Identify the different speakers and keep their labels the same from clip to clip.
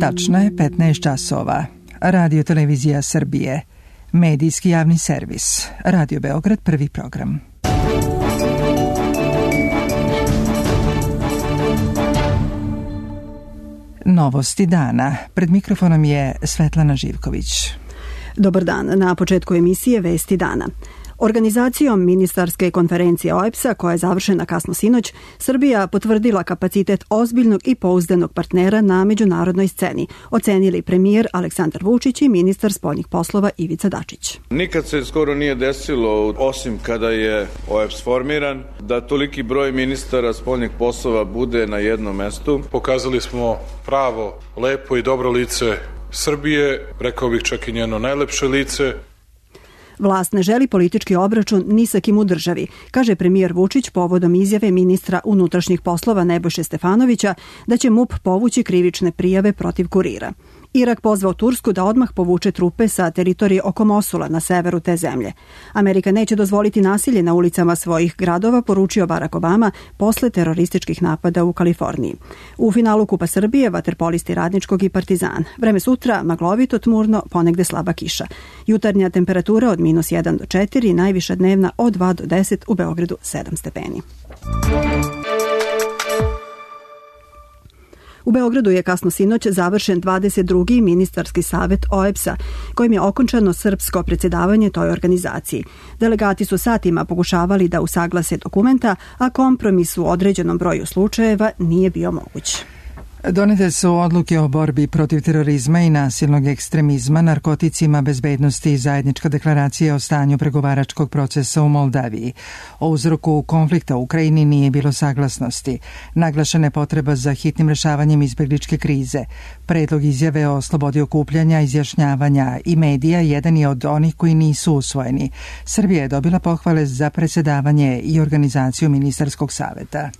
Speaker 1: Tačno je 15 časova. Radio Televizija Srbije. Medijski javni servis. Radio Beograd, prvi program. Novosti dana. Pred mikrofonom je Svetlana Živković.
Speaker 2: Dobar dan. Na početku emisije Vesti dana. Organizacijom ministarske konferencije OEBS-a, koja je završena kasno sinoć, Srbija potvrdila kapacitet ozbiljnog i pouzdanog partnera na međunarodnoj sceni, ocenili premijer Aleksandar Vučić i ministar spoljnih poslova Ivica Dačić.
Speaker 3: Nikad se skoro nije desilo, osim kada je OEBS formiran, da toliki broj ministara spoljnih poslova bude na jednom mestu.
Speaker 4: Pokazali smo pravo, lepo i dobro lice Srbije, rekao bih čak i njeno najlepše lice.
Speaker 2: Vlast ne želi politički obračun ni sa kim u državi, kaže premijer Vučić povodom izjave ministra unutrašnjih poslova Nebojše Stefanovića da će MUP povući krivične prijave protiv kurira. Irak pozvao Tursku da odmah povuče trupe sa teritorije oko Mosula na severu te zemlje. Amerika neće dozvoliti nasilje na ulicama svojih gradova, poručio Barack Obama posle terorističkih napada u Kaliforniji. U finalu Kupa Srbije vaterpolisti Radničkog i Partizan. Vreme sutra maglovito, tmurno, ponegde slaba kiša. Jutarnja temperatura od -1 do 4, najviša dnevna od 2 do 10, u Beogradu 7 stepeni. U Beogradu je kasno sinoć završen 22. ministarski savet OEBS-a, kojim je okončano srpsko predsjedavanje toj organizaciji. Delegati su satima pokušavali da usaglase dokumenta, a kompromis u određenom broju slučajeva nije bio moguć.
Speaker 1: Donete su odluke o borbi protiv terorizma i nasilnog ekstremizma, narkoticima, bezbednosti i zajednička deklaracija o stanju pregovaračkog procesa u Moldaviji. O uzroku konflikta u Ukrajini nije bilo saglasnosti. Naglašena je potreba za hitnim rešavanjem izbegličke krize. Predlog izjave o slobodi okupljanja, izjašnjavanja i medija jedan je od onih koji nisu usvojeni. Srbija je dobila pohvale za predsjedavanje i organizaciju ministarskog saveta.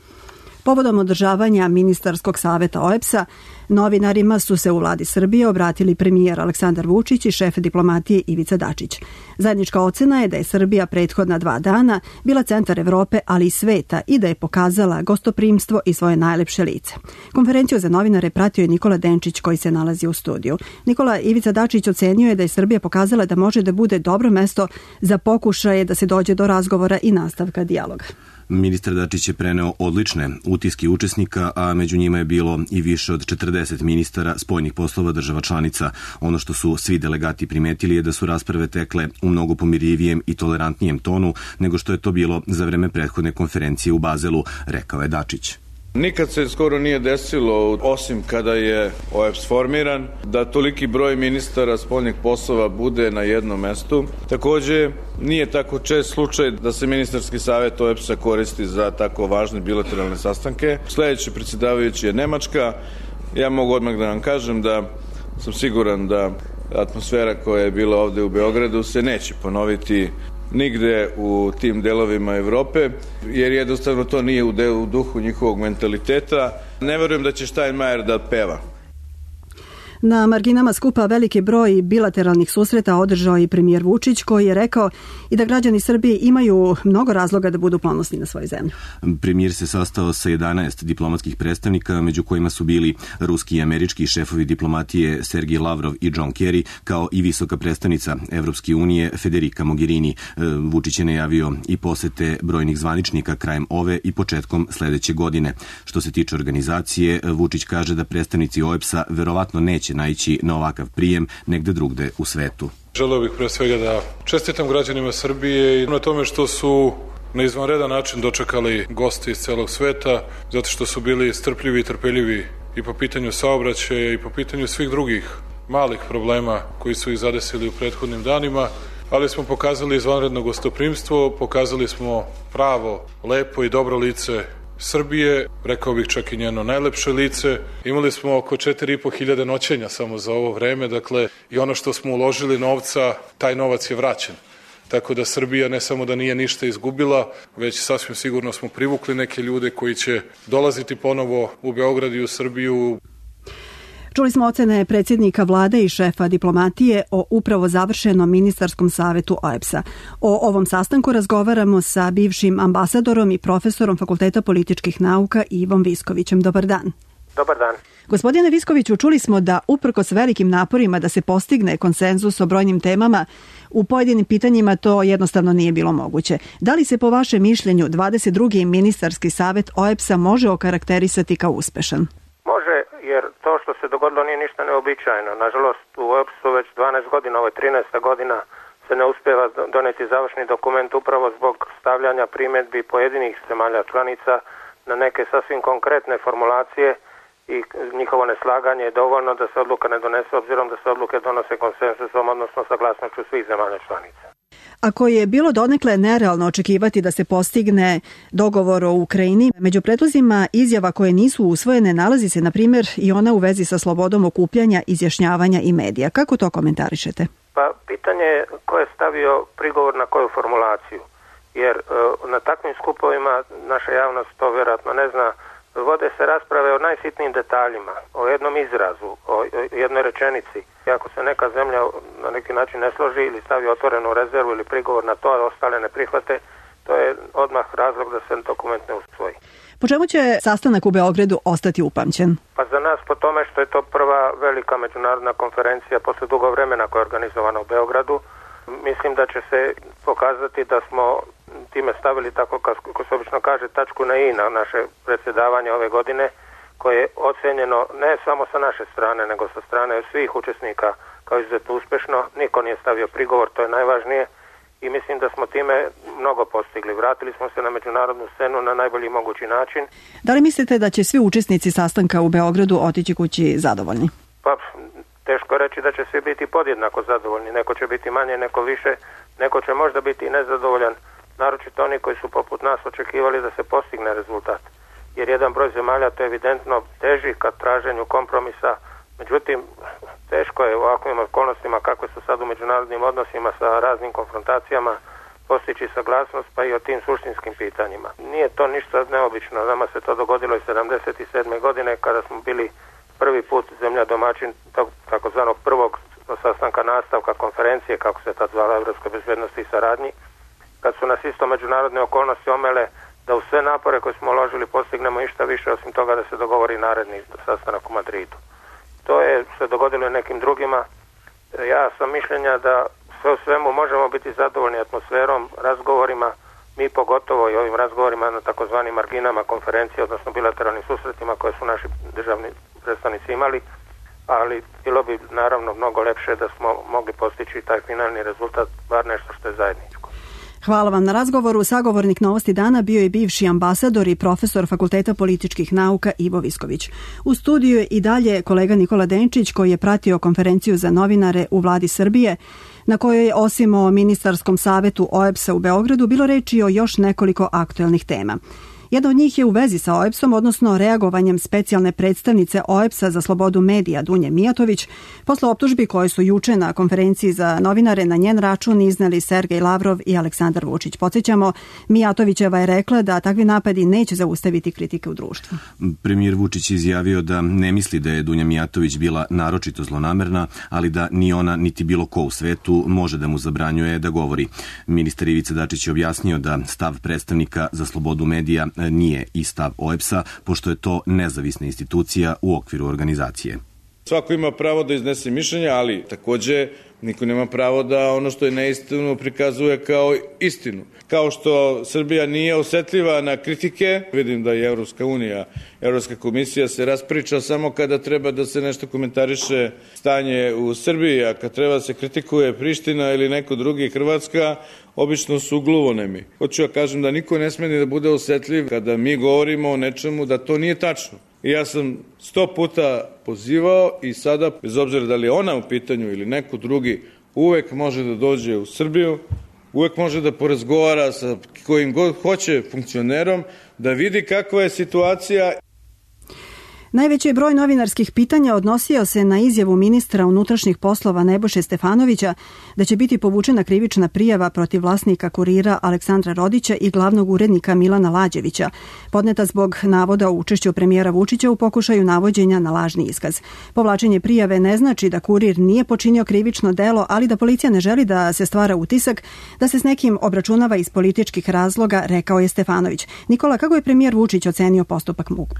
Speaker 2: Povodom održavanja ministarskog saveta OEBS-a, novinarima su se u vladi Srbije obratili premijer Aleksandar Vučić i šef diplomatije Ivica Dačić. Zajednička ocena je da je Srbija prethodna 2 dana bila centar Evrope, ali i sveta, i da je pokazala gostoprimstvo i svoje najlepše lice. Konferenciju za novinare pratio je Nikola Denčić, koji se nalazi u studiju. Nikola, Ivica Dačić ocenio je da je Srbija pokazala da može da bude dobro mesto za pokušaje da se dođe do razgovora i nastavka dijaloga.
Speaker 5: Ministar Dačić je preneo odlične utiske učesnika, a među njima je bilo i više od 40 ministara spoljnih poslova država članica. Ono što su svi delegati primetili je da su rasprave tekle u mnogo pomirljivijem i tolerantnijem tonu nego što je to bilo za vreme prethodne konferencije u Bazelu, rekao je Dačić.
Speaker 3: Nikad se skoro nije desilo, osim kada je OEBS formiran, da toliki broj ministara spoljnih poslova bude na jednom mestu. Takođe, nije tako čest slučaj da se ministarski savet OEBS-a koristi za tako važne bilateralne sastanke. Sledeći predsjedavajući je Nemačka. Ja mogu odmah da vam kažem da sam siguran da atmosfera koja je bila ovde u Beogradu se neće ponoviti nigde u tim delovima Evrope, jer jednostavno to nije u duhu njihovog mentaliteta. Ne verujem da će Steinmeier da peva.
Speaker 2: Na marginama skupa veliki broj bilateralnih susreta održao i premijer Vučić, koji je rekao i da građani Srbije imaju mnogo razloga da budu ponosni na svoju zemlju.
Speaker 5: Premijer se sastao sa 11 diplomatskih predstavnika, među kojima su bili ruski i američki šefovi diplomatije Sergej Lavrov i John Kerry, kao i visoka predstavnica Evropske unije Federica Mogherini. Vučić je najavio i posete brojnih zvaničnika krajem ove i početkom sledeće godine. Što se tiče organizacije, Vučić kaže da predstavnici OEBS-a verovatno neće naići na ovakav prijem negde drugde u svetu.
Speaker 4: Želeo bih pre svega da čestitam građanima Srbije i na tome što su na izvanredan način dočekali goste iz celog sveta, zato što su bili strpljivi i trpeljivi i po pitanju saobraćaja i po pitanju svih drugih malih problema koji su ih zadesili u prethodnim danima, ali smo pokazali izvanredno gostoprimstvo, pokazali smo pravo, lepo i dobro lice Srbije, rekao bih čak i njeno najlepše lice. Imali smo oko 4.500 noćenja samo za ovo vreme, dakle i ono što smo uložili novca, taj novac je vraćen. Tako da Srbija ne samo da nije ništa izgubila, već sasvim sigurno smo privukli neke ljude koji će dolaziti ponovo u Beograd i u Srbiju.
Speaker 2: Čuli smo ocene predsjednika vlade i šefa diplomatije o upravo završenom ministarskom savetu OEBS-a. O ovom sastanku razgovaramo sa bivšim ambasadorom i profesorom Fakulteta političkih nauka Ivom Viskovićem. Dobar dan.
Speaker 6: Dobar dan.
Speaker 2: Gospodine Viskoviću, čuli smo da uprkos velikim naporima da se postigne konsenzus o brojnim temama, u pojedinim pitanjima to jednostavno nije bilo moguće. Da li se po vašem mišljenju 22. ministarski savet OEBS-a može okarakterisati kao uspešan?
Speaker 6: Može, jer to što se dogodilo nije ništa neobičajno. Nažalost, u OEBS-u već 12 godina, ovo je 13. godina, se ne uspeva doneti završni dokument upravo zbog stavljanja primjedbi pojedinih zemalja članica na neke sasvim konkretne formulacije i njihovo neslaganje je dovoljno da se odluka ne donese, obzirom da se odluke donose konsenzusom, odnosno saglasnošću svih zemalja članica.
Speaker 2: Ako je bilo donekle nerealno očekivati da se postigne dogovor o Ukrajini, među predlozima izjava koje nisu usvojene nalazi se, na primjer, i ona u vezi sa slobodom okupljanja, izjašnjavanja i medija. Kako to komentarišete?
Speaker 6: Pa pitanje je ko je stavio prigovor na koju formulaciju, jer na takvim skupovima naša javnost to vjerojatno ne zna, vode se rasprave o najsitnijim detaljima, o jednom izrazu, o jednoj rečenici. I ako se neka zemlja na neki način ne složi ili stavi otvorenu rezervu ili prigovor na to, a ostale ne prihvate, to je odmah razlog da se dokument ne usvoji.
Speaker 2: Po čemu će sastanak u Beogradu ostati upamćen?
Speaker 6: Pa za nas po tome što je to prva velika međunarodna konferencija posle dugo vremena koja je organizovana u Beogradu. Mislim da će se pokazati da smo time stavili, tako kako se obično kaže, tačku na i na naše predsjedavanje ove godine, koje je ocenjeno ne samo sa naše strane, nego sa strane svih učesnika kao izuzetno uspešno. Niko nije stavio prigovor, to je najvažnije, i mislim da smo time mnogo postigli. Vratili smo se na međunarodnu scenu na najbolji mogući način.
Speaker 2: Da li mislite da će svi učesnici sastanka u Beogradu otići kući zadovoljni?
Speaker 6: Pa, teško reći da će svi biti podjednako zadovoljni. Neko će biti manje, neko više, neko će možda biti i nezadovoljan, naročito oni koji su poput nas očekivali da se postigne rezultat. Jer jedan broj zemalja, to je evidentno, teži ka traženju kompromisa. Međutim, teško je u ovakvim okolnostima kakve su sad u međunarodnim odnosima sa raznim konfrontacijama postići saglasnost, pa i o tim suštinskim pitanjima. Nije to ništa neobično. Nama se to dogodilo i 77. godine kada smo bili prvi put zemlja domaćin takozvanog prvog sastanka nastavka konferencije, kako se tad zvala, Evropske bezbednosti i saradnji, kad su nas isto međunarodne okolnosti omele da u sve napore koje smo uložili postignemo išta više osim toga da se dogovori naredni sastanak u Madridu. To je se dogodilo i nekim drugima. Ja sam mišljenja da sve u svemu možemo biti zadovoljni atmosferom, razgovorima, mi pogotovo i ovim razgovorima na takozvanim marginama konferencije, odnosno bilateralnim susretima koje su naši državni predstavnici imali, ali bilo bi naravno mnogo lepše da smo mogli postići taj finalni rezultat, bar nešto što je zajedničko.
Speaker 2: Hvala vam na razgovoru. Sagovornik Novosti dana bio je bivši ambasador i profesor Fakulteta političkih nauka Ivo Visković. U studiju je i dalje kolega Nikola Denčić, koji je pratio konferenciju za novinare u Vladi Srbije, na kojoj je osim o ministarskom savetu OEBS-a u Beogradu bilo reči o još nekoliko aktuelnih tema. Jedna od njih je u vezi sa OEBS-om, odnosno reagovanjem specijalne predstavnice OEBS-a za slobodu medija Dunje Mijatović, posle optužbi koje su juče na konferenciji za novinare na njen račun izneli Sergej Lavrov i Aleksandar Vučić. Podsjećamo, Mijatovićeva je rekla da takvi napadi neće zaustaviti kritike u društvu.
Speaker 5: Premijer Vučić izjavio da ne misli da je Dunja Mijatović bila naročito zlonamerna, ali da ni ona niti bilo ko u svetu može da mu zabranjuje da govori. Ministar Ivica Dačić je objasnio da stav predstavnika za slobodu medija nije i stav OEBS-a, pošto je to nezavisna institucija u okviru organizacije.
Speaker 3: Svako ima pravo da iznese mišljenja, ali takođe niko nema pravo da ono što je neistinu prikazuje kao istinu. Kao što Srbija nije osetljiva na kritike, vidim da i Evropska komisija se raspriča samo kada treba da se nešto komentariše stanje u Srbiji, a kad treba da se kritikuje Priština ili neko drugi, Hrvatska, obično su gluvonemi. Hoću ja kažem da niko ne sme ni da bude osetljiv kada mi govorimo o nečemu da to nije tačno. I ja sam 100 puta pozivao i sada, bez obzira da li je ona u pitanju ili neko drugi, uvek može da dođe u Srbiju, uvek može da porazgovara sa kojim god hoće funkcionerom, da vidi kakva je situacija.
Speaker 2: Najveći broj novinarskih pitanja odnosio se na izjavu ministra unutrašnjih poslova Nebojše Stefanovića da će biti povučena krivična prijava protiv vlasnika Kurira Aleksandra Rodića i glavnog urednika Milana Lađevića, podneta zbog navoda o učešću premijera Vučića u pokušaju navođenja na lažni iskaz. Povlačenje prijave ne znači da Kurir nije počinio krivično delo, ali da policija ne želi da se stvara utisak da se s nekim obračunava iz političkih razloga, rekao je Stefanović. Nikola, kako je premijer Vučić ocenio postupak MUP-a?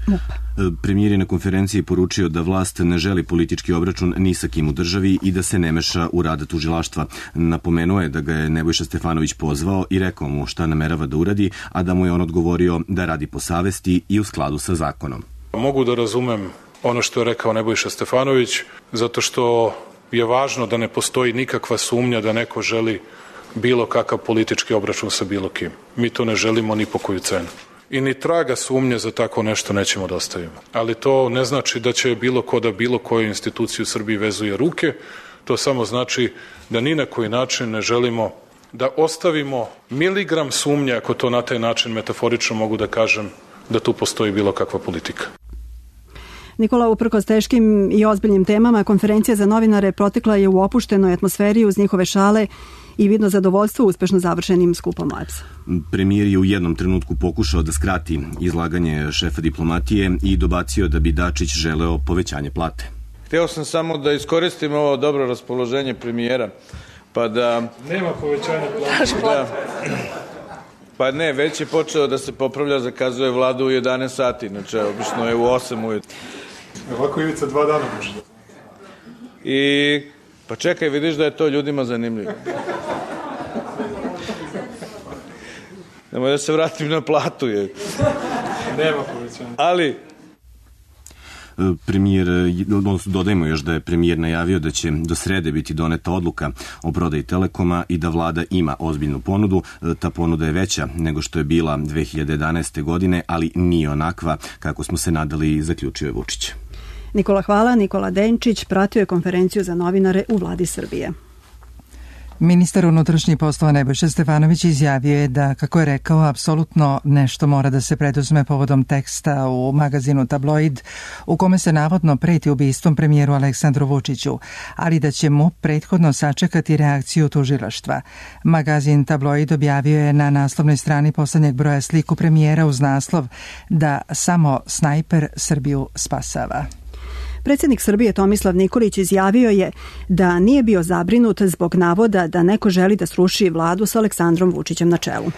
Speaker 5: Premijer je na konferenciji poručio da vlast ne želi politički obračun ni sa kim u državi i da se ne meša u rad tužilaštva. Napomenuo je da ga je Nebojša Stefanović pozvao i rekao mu šta namerava da uradi, a da mu je on odgovorio da radi po savesti i u skladu sa zakonom.
Speaker 4: Mogu da razumem ono što je rekao Nebojša Stefanović, zato što je važno da ne postoji nikakva sumnja da neko želi bilo kakav politički obračun sa bilo kim. Mi to ne želimo ni po koju cenu. I ni traga sumnje za tako nešto nećemo da ostavimo. Ali to ne znači da će bilo ko da bilo koju instituciju u Srbiji vezuje ruke. To samo znači da ni na koji način ne želimo da ostavimo miligram sumnje, ako to na taj način metaforično mogu da kažem, da tu postoji bilo kakva politika.
Speaker 2: Nikola, uprkos teškim i ozbiljnim temama, konferencija za novinare protekla je u opuštenoj atmosferi uz njihove šale i vidno zadovoljstvo uspešno završenim skupom OEBS-a.
Speaker 5: Premijer je u jednom trenutku pokušao da skrati izlaganje šefa diplomatije i dobacio da bi Dačić želeo povećanje plate.
Speaker 3: Hteo sam samo da iskoristim ovo dobro raspoloženje premijera, pa da...
Speaker 4: Nema povećanja plate.
Speaker 3: Pa ne, već je počeo da se popravlja, zakazuje vladu u 11 sati, znači obično je u 8 ujutru.
Speaker 4: Ovako Ivica 2 dana može.
Speaker 3: I, pa čekaj, vidiš da je to ljudima zanimljivo. Nemoj da se vratim na platu.
Speaker 4: Nema povećanja.
Speaker 3: Ali...
Speaker 5: Premijer, dodajmo još da je premijer najavio da će do srede biti doneta odluka o prodaji Telekoma i da vlada ima ozbiljnu ponudu. Ta ponuda je veća nego što je bila 2011. godine, ali nije onakva kako smo se nadali, zaključio je Vučić.
Speaker 2: Nikola, hvala. Nikola Denčić pratio je konferenciju za novinare u vladi Srbije.
Speaker 1: Ministar unutrašnjih poslova Nebojša Stefanović izjavio je da, kako je rekao, apsolutno nešto mora da se preduzme povodom teksta u magazinu Tabloid u kome se navodno preti ubistvom premijeru Aleksandru Vučiću, ali da će mu prethodno sačekati reakciju tužilaštva. Magazin Tabloid objavio je na naslovnoj strani poslednjeg broja sliku premijera uz naslov da samo snajper Srbiju spasava.
Speaker 2: Predsjednik Srbije Tomislav Nikolić izjavio je da nije bio zabrinut zbog navoda da neko želi da sruši vladu sa Aleksandrom Vučićem na čelu.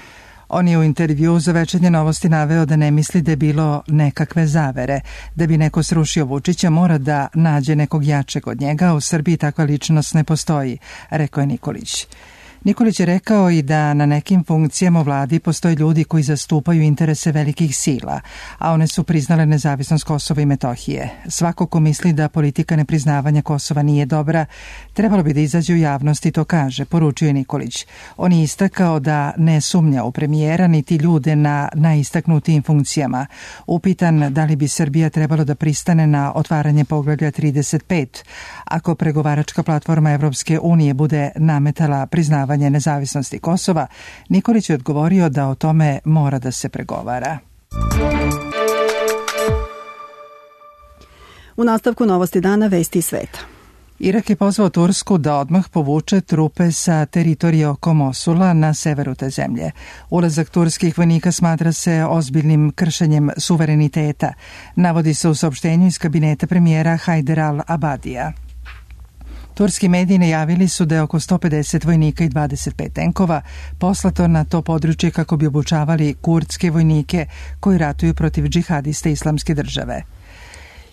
Speaker 1: On je u intervjuu za Večernje novosti naveo da ne misli da je bilo nekakve zavere. Da bi neko srušio Vučića mora da nađe nekog jačeg od njega, u Srbiji takva ličnost ne postoji, rekao je Nikolić. Nikolić je rekao i da na nekim funkcijama u vladi postoje ljudi koji zastupaju interese velikih sila, a one su priznale nezavisnost Kosova i Metohije. Svako ko misli da politika nepriznavanja Kosova nije dobra, trebalo bi da izađe u javnost i to kaže, poručio je Nikolić. On je istakao da ne sumnja u premijera niti ljude na najistaknutijim funkcijama. Upitan da li bi Srbija trebalo da pristane na otvaranje poglavlja 35, ako pregovaračka platforma Evropske unije bude nametala priznavanje nezavisnosti Kosova, Nikolić je odgovorio da o tome mora da se pregovara.
Speaker 2: U nastavku novosti dana vesti sveta.
Speaker 1: Irak je pozvao Tursku da odmah povuče trupe sa teritorije oko Mosula na severu te zemlje. Ulazak turskih vojnika smatra se ozbiljnim kršenjem suvereniteta, navodi se u saopštenju iz kabineta premijera Hajder al-Abadija. Turski mediji najavili su da je oko 150 vojnika i 25 tenkova poslato na to područje kako bi obučavali kurdske vojnike koji ratuju protiv džihadista Islamske države.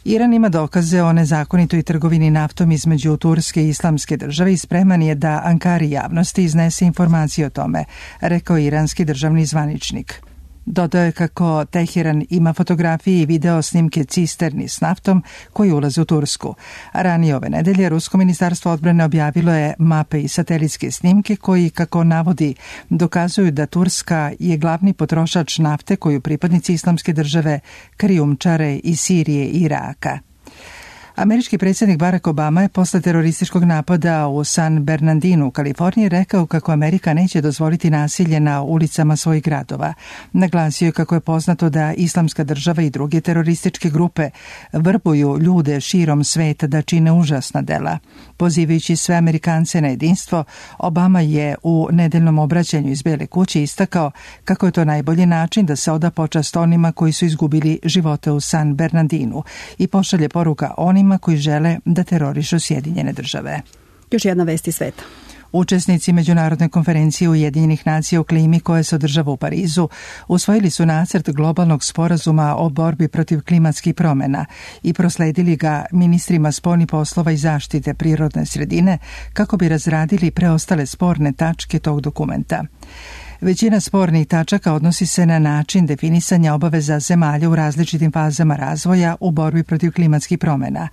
Speaker 1: Iran ima dokaze o nezakonitoj trgovini naftom između Turske i Islamske države i spreman je da Ankari javnosti iznese informacije o tome, rekao iranski državni zvaničnik. Dodao je kako Teheran ima fotografije i video snimke cisterni s naftom koji ulaze u Tursku. Ranije ove nedelje Rusko ministarstvo odbrane objavilo je mape i satelitske snimke koji, kako navodi, dokazuju da Turska je glavni potrošač nafte koju pripadnici Islamske države krijumčare iz Sirije i Iraka. Američki predsjednik Barack Obama je posle terorističkog napada u San Bernardinu u Kaliforniji rekao kako Amerika neće dozvoliti nasilje na ulicama svojih gradova. Naglasio je kako je poznato da Islamska država i druge terorističke grupe vrbuju ljude širom sveta da čine užasna dela. Pozivajući sve Amerikance na jedinstvo, Obama je u nedeljnom obraćanju iz Bele kuće istakao kako je to najbolji način da se oda počast onima koji su izgubili živote u San Bernardinu i pošalje poruka onima koji žele da terorišu Sjedinjene države.
Speaker 2: Još jedna vest iz sveta.
Speaker 1: Učesnici Međunarodne konferencije Ujedinjenih nacija o klimi koja se održava u Parizu usvojili su nacrt globalnog sporazuma o borbi protiv klimatskih promjena i prosledili ga ministrima spoljnih poslova i zaštite prirodne sredine kako bi razradili preostale sporne tačke tog dokumenta. Većina spornih tačaka odnosi se na način definisanja obaveza zemalja u različitim fazama razvoja u borbi protiv klimatskih promjena.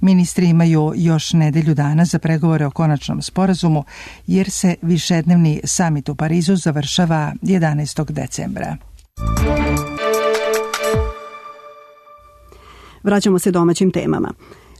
Speaker 1: Ministri imaju još nedelju dana za pregovore o konačnom sporazumu jer se višednevni samit u Parizu završava 11. decembra.
Speaker 2: Vraćamo se domaćim temama.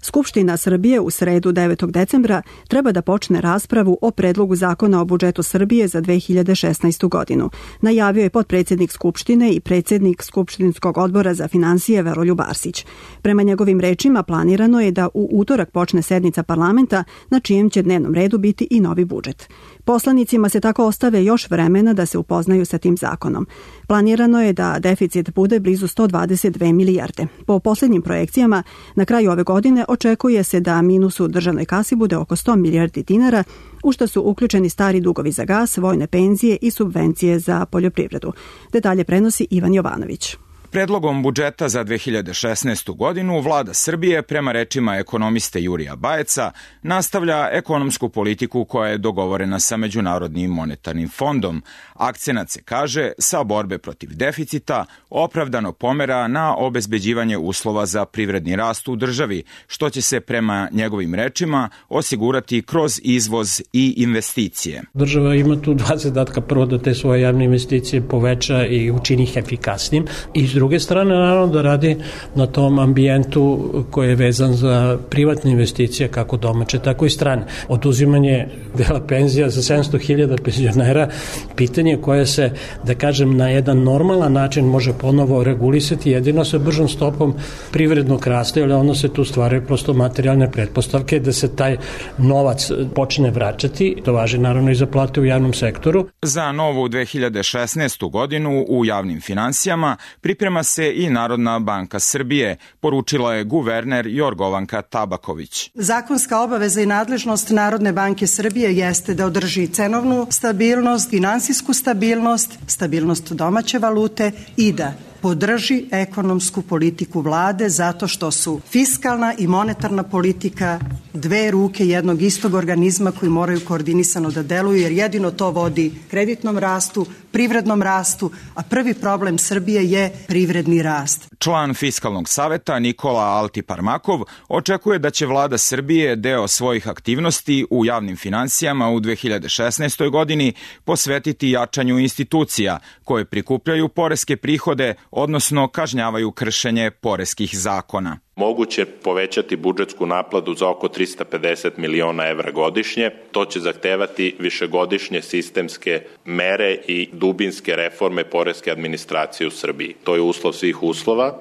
Speaker 2: Skupština Srbije u sredu 9. decembra treba da počne raspravu o predlogu zakona o budžetu Srbije za 2016. godinu. Najavio je potpredsjednik Skupštine i predsjednik Skupštinskog odbora za finansije Veroljub Arsić. Prema njegovim rečima planirano je da u utorak počne sednica parlamenta na čijem će dnevnom redu biti i novi budžet. Poslanicima se tako ostave još vremena da se upoznaju sa tim zakonom. Planirano je da deficit bude blizu 122 milijarde. Po posljednjim projekcijama, na kraju ove godine očekuje se da minus u državnoj kasi bude oko 100 milijardi dinara, u što su uključeni stari dugovi za gas, vojne penzije i subvencije za poljoprivredu. Detalje prenosi Ivan Jovanović.
Speaker 7: Predlogom budžeta za 2016. godinu vlada Srbije, prema rečima ekonomiste Jurija Bajeca, nastavlja ekonomsku politiku koja je dogovorena sa Međunarodnim monetarnim fondom. Akcenat se, kaže, sa borbe protiv deficita opravdano pomera na obezbeđivanje uslova za privredni rast u državi, što će se prema njegovim rečima osigurati kroz izvoz i investicije.
Speaker 8: Država ima tu dva zadatka, prvo da te svoje javne investicije poveća i učini ih efikasnim i s druge strane, naravno, da radi na tom ambijentu koji je vezan za privatne investicije, kako domaće, tako i strane. Oduzimanje dela penzija za 700.000 penzionera, pitanje koje se, da kažem, na jedan normalan način može ponovo regulisati jedino sa bržom stopom privrednog rasta, jer onda se tu stvaraju prosto materijalne pretpostavke da se taj novac počne vraćati. To važi naravno i za plate u javnom sektoru.
Speaker 7: Za novu 2016. godinu u javnim finansijama priprema se i Narodna banka Srbije, poručila je guverner Jorgovanka Tabaković.
Speaker 9: Zakonska obaveza i nadležnost Narodne banke Srbije jeste da održi cenovnu stabilnost, finansijsku stabilnost, stabilnost domaće valute i da podrži ekonomsku politiku vlade zato što su fiskalna i monetarna politika dve ruke jednog istog organizma koji moraju koordinisano da deluju, jer jedino to vodi kreditnom rastu, privrednom rastu, a prvi problem Srbije je privredni rast.
Speaker 7: Član Fiskalnog saveta Nikola Altiparmakov očekuje da će vlada Srbije deo svojih aktivnosti u javnim finansijama u 2016. godini posvetiti jačanju institucija koje prikupljaju poreske prihode, odnosno kažnjavaju kršenje poreskih zakona.
Speaker 10: Moguće povećati budžetsku naplatu za oko 350 miliona evra godišnje. To će zahtevati višegodišnje sistemske mere i dubinske reforme poreske administracije u Srbiji. To je uslov svih uslova.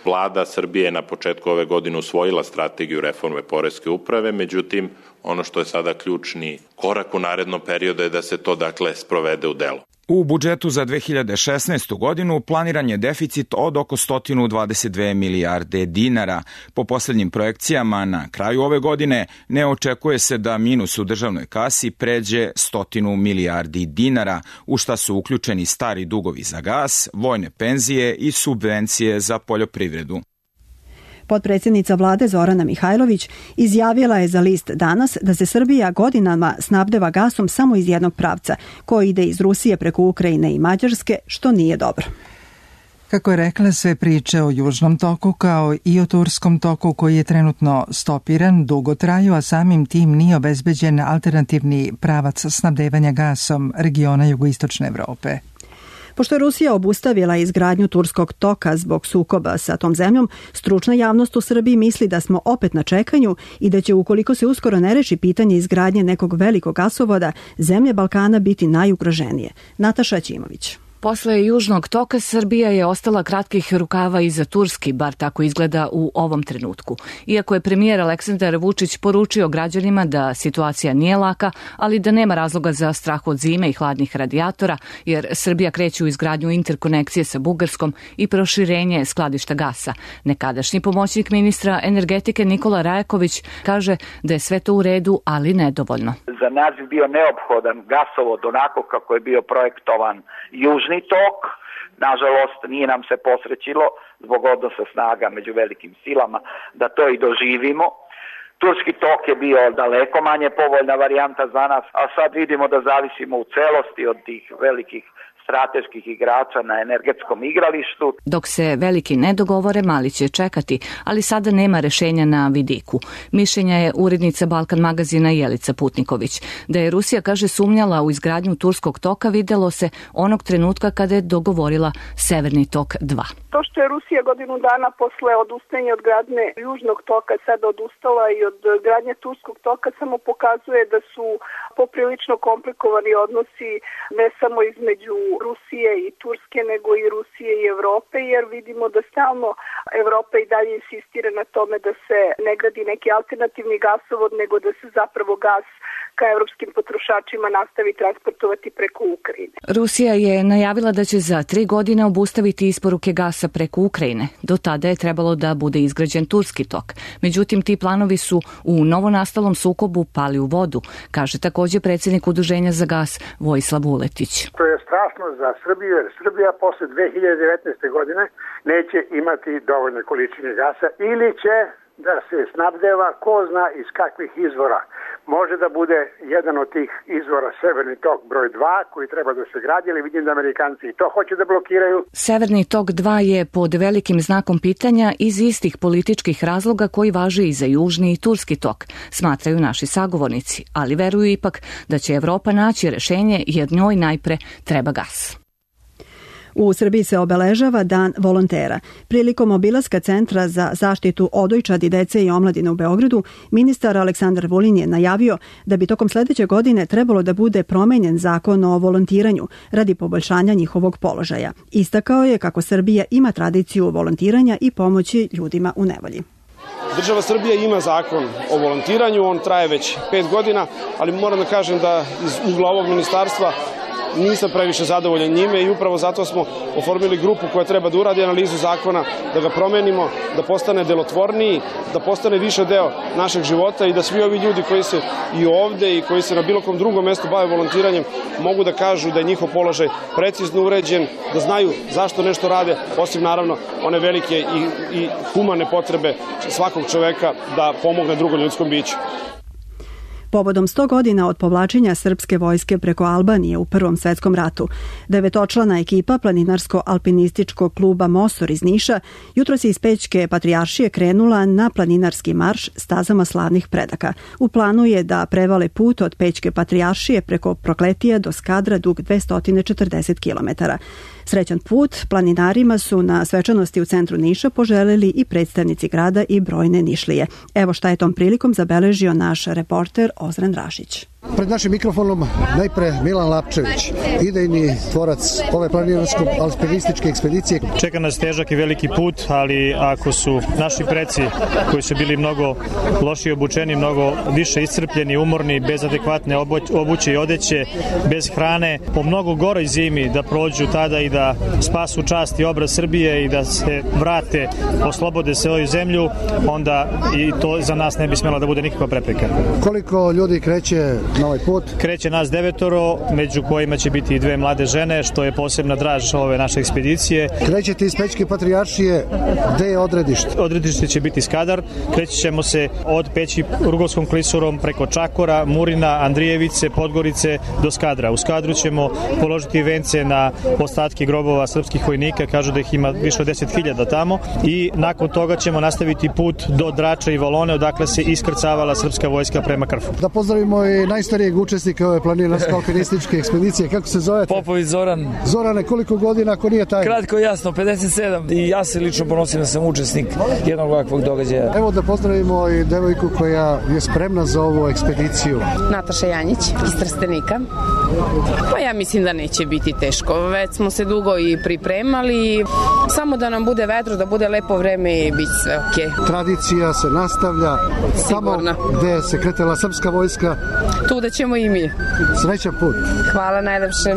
Speaker 10: Vlada Srbije je na početku ove godine usvojila strategiju reforme poreske uprave, međutim, ono što je sada ključni korak u narednom periodu je da se to, sprovede u delo.
Speaker 7: U budžetu za 2016. godinu planiran je deficit od oko 122 milijarde dinara. Po posljednjim projekcijama na kraju ove godine ne očekuje se da minus u državnoj kasi pređe 100 milijardi dinara, u šta su uključeni stari dugovi za gas, vojne penzije i subvencije za poljoprivredu.
Speaker 2: Potpredsjednica vlade Zorana Mihajlović izjavila je za list Danas da se Srbija godinama snabdeva gasom samo iz jednog pravca, koji ide iz Rusije preko Ukrajine i Mađarske, što nije dobro.
Speaker 1: Kako je rekla, sve priče o Južnom toku kao i o Turskom toku koji je trenutno stopiran dugo traju, a samim tim nije obezbeđen alternativni pravac snabdevanja gasom regiona jugoistočne Evrope.
Speaker 2: Pošto je Rusija obustavila izgradnju Turskog toka zbog sukoba sa tom zemljom, stručna javnost u Srbiji misli da smo opet na čekanju i da će, ukoliko se uskoro ne reši pitanje izgradnje nekog velikog gasovoda, zemlje Balkana biti najugroženije. Nataša Ćimović.
Speaker 11: Posle Južnog toka Srbija je ostala kratkih rukava i za Turski, bar tako izgleda u ovom trenutku. Iako je premijer Aleksandar Vučić poručio građanima da situacija nije laka, ali da nema razloga za strah od zime i hladnih radijatora, jer Srbija kreće u izgradnju interkonekcije sa Bugarskom i proširenje skladišta gasa. Nekadašnji pomoćnik ministra energetike Nikola Rajaković kaže da je sve to u redu, ali nedovoljno.
Speaker 12: Za nas bi bio neophodan gasovod onako kako je bio projektovan Južni tok. Nažalost, nije nam se posrećilo zbog odnosa snaga među velikim silama da to i doživimo. Turski tok je bio daleko manje povoljna varijanta za nas, a sad vidimo da zavisimo u celosti od tih velikih strateških igrača na energetskom igralištu.
Speaker 11: Dok se veliki ne dogovore, mali će čekati, ali sada nema rešenja na vidiku. Mišljenja je urednica Balkan magazina Jelica Putniković. Da je Rusija, kaže, sumnjala u izgradnju Turskog toka, videlo se onog trenutka kada je dogovorila Severni tok 2.
Speaker 13: To što je Rusija godinu dana posle odustajanja od gradnje Južnog toka sada odustala i od gradnje Turskog toka samo pokazuje da su poprilično komplikovani odnosi ne samo između Rusije i Turske, nego i Rusije i Evrope, jer vidimo da stalno Evropa i dalje insistira na tome da se ne gradi neki alternativni gasovod, nego da se zapravo gas ka evropskim potrošačima nastavi transportovati preko Ukrajine.
Speaker 11: Rusija je najavila da će za 3 godine obustaviti isporuke gasa preko Ukrajine. Do tada je trebalo da bude izgrađen Turski tok. Međutim, ti planovi su u novonastalom sukobu pali u vodu, kaže takođe predsjednik Udruženja za gas Vojislav Vuletić.
Speaker 14: To je strašno za Srbiju, jer Srbija posle 2019. godine neće imati dovoljne količine gasa ili će da se snabdeva ko zna iz kakvih izvora. Može da bude jedan od tih izvora Severni tok broj 2 koji treba da se gradi, ali vidim da Amerikanci i to hoće da blokiraju.
Speaker 11: Severni tok 2 je pod velikim znakom pitanja iz istih političkih razloga koji važe i za Južni i Turski tok, smatraju naši sagovornici, ali veruju ipak da će Evropa naći rešenje jer njoj najpre treba gas.
Speaker 2: U Srbiji se obeležava Dan volontera. Prilikom obilaska Centra za zaštitu odojčadi, dece i omladine u Beogradu, ministar Aleksandar Vulin je najavio da bi tokom sledeće godine trebalo da bude promenjen zakon o volontiranju radi poboljšanja njihovog položaja. Istakao je kako Srbija ima tradiciju volontiranja i pomoći ljudima u nevolji.
Speaker 15: Država Srbija ima zakon o volontiranju, on traje već 5 godina, ali moram da kažem da iz ugla ovog ministarstva nisam previše zadovoljan njime i upravo zato smo oformili grupu koja treba da uradi analizu zakona, da ga promenimo, da postane delotvorniji, da postane više deo našeg života i da svi ovi ljudi koji se i ovde i koji se na bilo kom drugom mestu bave volontiranjem mogu da kažu da je njihov položaj precizno uređen, da znaju zašto nešto rade, osim naravno one velike i humane potrebe svakog čoveka da pomogne drugom ljudskom biću.
Speaker 2: Povodom 100 godina od povlačenja srpske vojske preko Albanije u Prvom svetskom ratu, 9-člana ekipa planinarsko-alpinističkog kluba Mosor iz Niša jutros je iz Pećke patrijaršije krenula na planinarski marš stazama slavnih predaka. U planu je da prevale put od Pećke patrijaršije preko Prokletija do Skadra dug 240 km. Srećan put planinarima su na svečanosti u centru Niša poželeli i predstavnici grada i brojne Nišlije. Evo šta je tom prilikom zabeležio naš reporter Ozren Rašić.
Speaker 16: Pred našim mikrofonom najpre Milan Lapčević, idejni tvorac ove planinarsko-alpinističke ekspedicije.
Speaker 17: Čeka nas težak i veliki put, ali ako su naši preci koji su bili mnogo lošije obučeni, mnogo više iscrpljeni, umorni, bez adekvatne obuće i odeće, bez hrane, po mnogo goroj zimi da prođu tada i da spasu čast i obraz Srbije i da se vrate, oslobode se ovu zemlju, onda i to za nas ne bi smjela da bude nikakva prepreka.
Speaker 16: Koliko ljudi kreće na ovaj put?
Speaker 17: Kreće nas 9, među kojima će biti i 2 mlade žene, što je posebna draž ove naše ekspedicije.
Speaker 16: Krećete iz Pećke patrijaršije, gde je odredište?
Speaker 17: Odredište će biti Skadar, kreći ćemo se od Peći Rugovskom klisurom preko Čakora, Murina, Andrijevice, Podgorice do Skadra. U Skadru ćemo položiti vence na ostatke grobova srpskih vojnika, kažu da ih ima više od 10.000 tamo i nakon toga ćemo nastaviti put do Drača i Valone, odakle se iskrcavala srpska vojska prema Krfu.
Speaker 16: Da pozdravimo i najstarijeg učesnika ove planinarsko-alpinističke ekspedicije. Kako se zovete?
Speaker 18: Popović Zoran.
Speaker 16: Zorane, koliko godina, ako nije tajno?
Speaker 18: Kratko i jasno, 57. I ja se lično ponosim da sam učesnik jednog ovakvog događaja.
Speaker 16: Evo da pozdravimo i devojku koja je spremna za ovu ekspediciju.
Speaker 19: Nataša Janjić iz Trstenika. Pa ja mislim da neće biti teško. Već smo se dugo i pripremali. Samo da nam bude vedro, da bude lepo vreme i bit sve okej.
Speaker 16: Tradicija se nastavlja.
Speaker 19: Sigurno.
Speaker 16: Tamo gde se kretala srpska vojska.
Speaker 19: Tu da ćemo i mi.
Speaker 16: Srećan put.
Speaker 19: Hvala najlepše.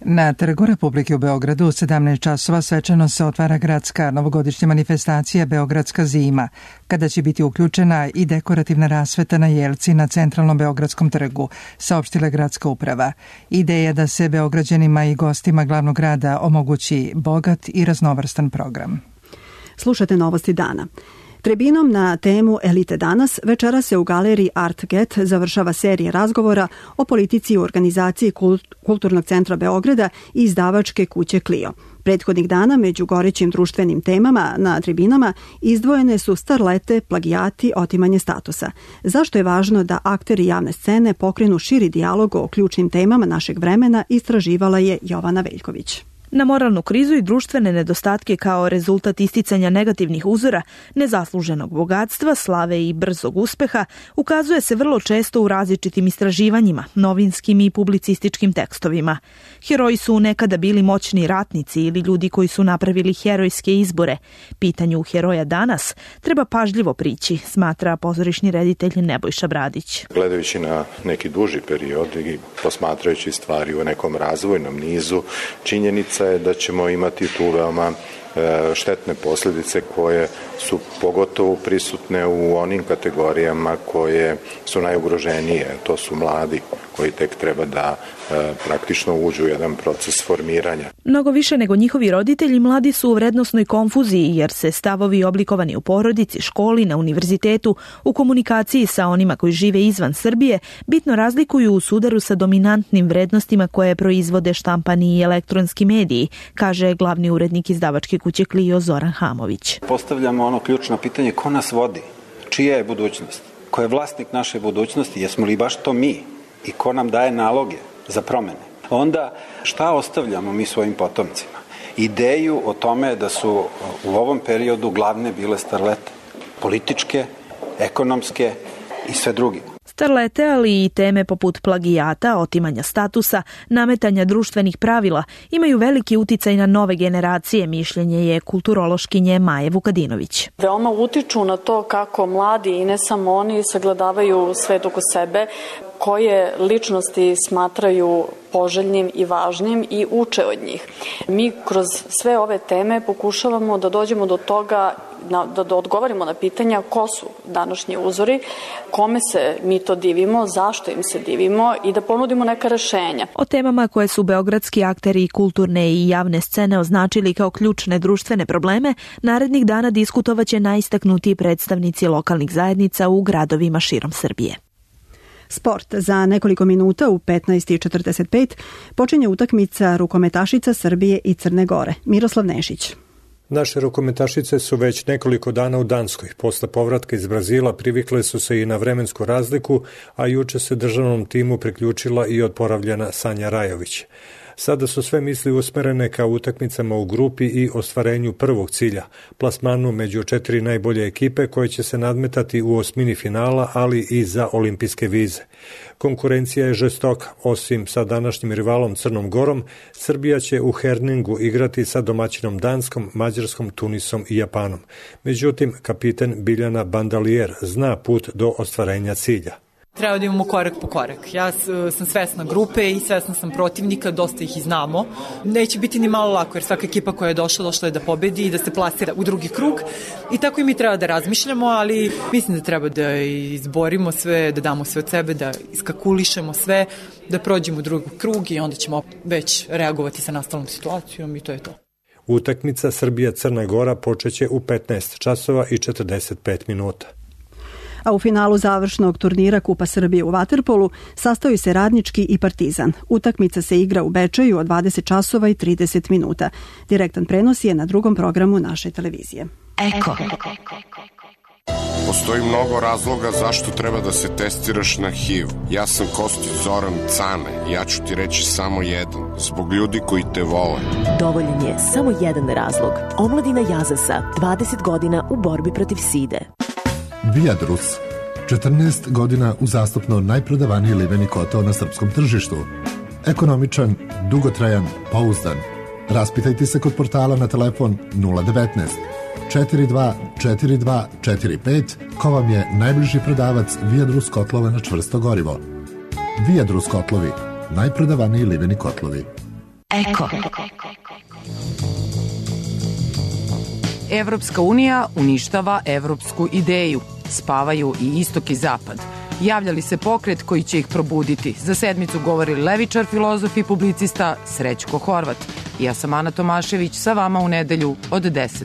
Speaker 1: Na Trgu Republike u Beogradu u 17 časova svečano se otvara gradska novogodišnja manifestacija Beogradska zima, kada će biti uključena i dekorativna rasveta na jelci na centralnom Beogradskom trgu, saopštila gradska uprava. Ideja je da se Beograđanima i gostima glavnog grada omogući bogat i raznovrstan program.
Speaker 2: Slušate novosti dana. Tribinom na temu Elite danas večera se u galeriji Art Get završava serija razgovora o politici u organizaciji Kulturnog centra Beograda i izdavačke kuće Clio. Prethodnih dana među gorećim društvenim temama na tribinama izdvojene su starlete, plagijati, otimanje statusa. Zašto je važno da akteri javne scene pokrenu širi dijalog o ključnim temama našeg vremena, istraživala je Jovana Veljković.
Speaker 20: Na moralnu krizu i društvene nedostatke kao rezultat isticanja negativnih uzora, nezasluženog bogatstva, slave i brzog uspeha ukazuje se vrlo često u različitim istraživanjima, novinskim i publicističkim tekstovima. Heroji su nekada bili moćni ratnici ili ljudi koji su napravili herojske izbore. Pitanju heroja danas treba pažljivo prići, smatra pozorišni reditelj Nebojša Bradić.
Speaker 21: Gledajući na neki duži period i posmatrajući stvari u nekom razvojnom nizu, činjenica je da ćemo imati tu veoma štetne posljedice koje su pogotovo prisutne u onim kategorijama koje su najugroženije. To su mladi koji tek treba da praktično uđu u jedan proces formiranja.
Speaker 20: Mnogo više nego njihovi roditelji, mladi su u vrednosnoj konfuziji jer se stavovi oblikovani u porodici, školi, na univerzitetu, u komunikaciji sa onima koji žive izvan Srbije, bitno razlikuju u sudaru sa dominantnim vrednostima koje proizvode štampani i elektronski mediji, kaže glavni urednik izdavačke kuće Clio Zoran Hamović.
Speaker 22: Postavljamo ono ključno pitanje: ko nas vodi? Čija je budućnost? Ko je vlasnik naše budućnosti? Jesmo li baš to mi? I ko nam daje naloge za promene? Onda šta ostavljamo mi svojim potomcima? Ideju o tome da su u ovom periodu glavne bile starlete. Političke, ekonomske i sve druge.
Speaker 20: Starlete, ali i teme poput plagijata, otimanja statusa, nametanja društvenih pravila imaju veliki uticaj na nove generacije, mišljenje je kulturološkinje Maje Vukadinović.
Speaker 23: Veoma utiču na to kako mladi i ne samo oni sagledavaju svet oko sebe, koje ličnosti smatraju poželjnim i važnim i uče od njih. Mi kroz sve ove teme pokušavamo da dođemo do toga, da odgovorimo na pitanja ko su današnji uzori, kome se mi to divimo, zašto im se divimo i da ponudimo neka rešenja.
Speaker 20: O temama koje su beogradski akteri kulturne i javne scene označili kao ključne društvene probleme, narednih dana diskutovaće najistaknutiji predstavnici lokalnih zajednica u gradovima širom Srbije.
Speaker 2: Sport. Za nekoliko minuta u 15:45 počinje utakmica rukometašica Srbije i Crne Gore. Miroslav Nešić.
Speaker 24: Naše rukometašice su već nekoliko dana u Danskoj. Posle povratka iz Brazila privikle su se i na vremensku razliku, a juče se državnom timu priključila i odporavljena Sanja Rajović. Sada su sve misli usmerene ka utakmicama u grupi i ostvarenju prvog cilja, plasmanu među 4 najbolje ekipe koje će se nadmetati u osmini finala, ali i za olimpijske vize. Konkurencija je žestoka. Osim sa današnjim rivalom Crnom Gorom, Srbija će u Herningu igrati sa domaćinom Danskom, Mađarskom, Tunisom i Japanom. Međutim, kapiten Biljana Bandalier zna put do ostvarenja cilja.
Speaker 25: Treba da imamo korak po korak. Ja sam svesna grupe i svesna sam protivnika, dosta ih i znamo. Neće biti ni malo lako jer svaka ekipa koja je došla je da pobedi i da se plasira u drugi krug. I tako i mi treba da razmišljamo, ali mislim da treba da izborimo sve, da damo sve od sebe, da iskakulišemo sve, da prođemo u drugi krug i onda ćemo već reagovati sa nastalom situacijom i to je to.
Speaker 24: Utakmica Srbija-Crna Gora počeće u 15 časova i 45 minuta.
Speaker 2: A u finalu završnog turnira Kupa Srbije u vaterpolu sastaju se Radnički i Partizan. Utakmica se igra u Bečeju od 20 časova i 30 minuta. Direktan prenos je na drugom programu naše televizije. Eko.
Speaker 3: Postoji mnogo razloga zašto treba da se testiraš na HIV. Ja sam Kostić Zoran Cane i ja ću ti reći samo jedan. Zbog ljudi koji te vole.
Speaker 4: Dovoljan je samo jedan razlog. Omladina Jazasa, 20 godina u borbi protiv side.
Speaker 5: Viadrus, 14 godina uzastopno najprodavaniji liveni kotao na srpskom tržištu. Ekonomičan, dugotrajan, pouzdan. Raspitajte se kod portala na telefon 019 42 42 45 ko vam je najbliži prodavac Viadrus kotlova na čvrsto gorivo. Viadrus kotlovi, najprodavaniji liveni kotlovi.
Speaker 4: Eko.
Speaker 6: Evropska unija uništava evropsku ideju. Spavaju i istok i zapad. Javljali se pokret koji će ih probuditi. Za sedmicu govori levičar, filozof i publicista Srećko Horvat. Ja sam Ana Tomašević, sa vama u nedelju od 10.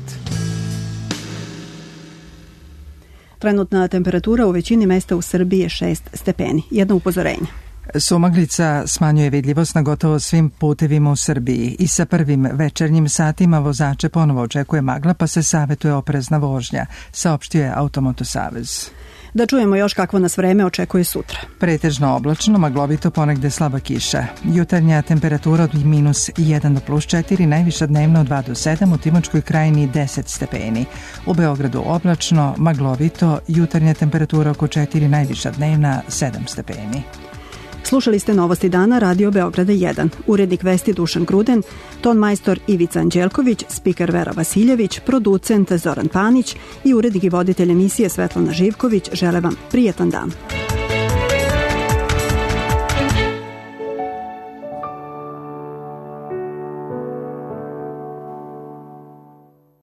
Speaker 2: Trenutna temperatura u većini mesta u Srbiji je 6 stepeni. Jedno upozorenje.
Speaker 1: Sumaglica smanjuje vidljivost na gotovo svim putevima u Srbiji i sa prvim večernjim satima vozače ponovo očekuje magla, pa se savetuje oprezna vožnja, saopštio je Automoto Savez.
Speaker 2: Da čujemo još kakvo nas vreme očekuje sutra.
Speaker 1: Pretežno oblačno, maglovito, ponegde slaba kiša. Jutarnja temperatura od -1 do +4, najviša dnevno od 2 do 7, u Timočkoj krajini 10 stepeni. U Beogradu oblačno, maglovito, jutarnja temperatura oko 4, najviša dnevna 7 stepeni.
Speaker 2: Slušali ste Novosti dana Radio Beograda 1. Urednik vesti Dušan Gruden, ton majstor Ivica Anđelković, spiker Vera Vasiljević, producent Zoran Panić i urednik i voditelj emisije Svetlana Živković žele vam prijetan dan.